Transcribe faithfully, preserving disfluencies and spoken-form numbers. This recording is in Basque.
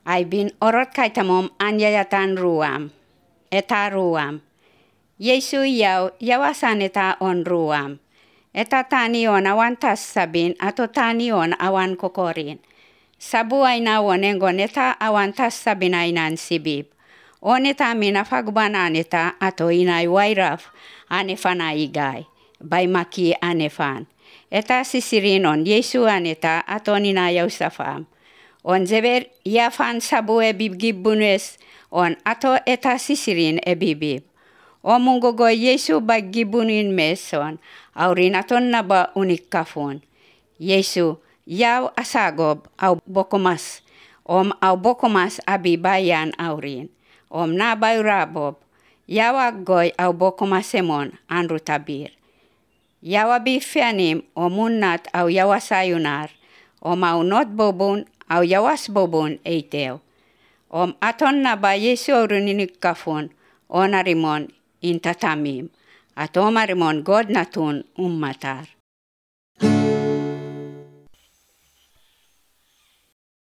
Aibin orot kaitamom anyayatan ruam. Eta ruam. Yesu yaw yawasan eta on ruam. Eta tanion awan tas sabin ato tanion awan kokorin. Sabu aina wonengon eta awan tas sabin ainan sibib. Oneta mina fagbanan eta ato inay wairaf anefana igay. Baimaki anefan. Eta sisirinon Yesu aneta ato ninayaw safam. On zeber yafan sabu e bibgibunes on ato eta sisirin e bibib. O mungogo Yesu baggibunin meson, aurin aton naba unik kafun. Yesu yaw asagob au bokomas, om au bokomas abibayan aurin. Om nabay rabob, yawag goy au bokomasemon anru tabir. Yawabi fianim omunat au yawasayunar, om au not bobun au yawas bobun eitew. Om aton naba Yesu aurinik kafun, onarimon intatamim. At omarimon God natun ummatar.